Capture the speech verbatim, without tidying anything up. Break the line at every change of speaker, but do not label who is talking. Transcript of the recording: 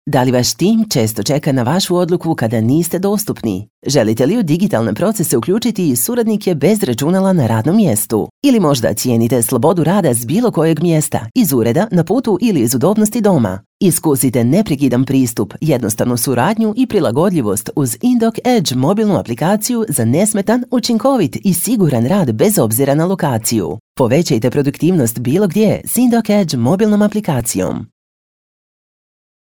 Da li vaš tim često čeka na vašu odluku kada niste dostupni? Želite li u digitalne procese uključiti i suradnike bez računala na radnom mjestu? Ili možda cijenite slobodu rada s bilo kojeg mjesta, iz ureda, na putu ili iz udobnosti doma? Iskusite neprekidan pristup, jednostavnu suradnju i prilagodljivost uz Indoc Edge mobilnu aplikaciju za nesmetan, učinkovit i siguran rad bez obzira na lokaciju. Povećajte produktivnost bilo gdje s Indoc Edge mobilnom aplikacijom.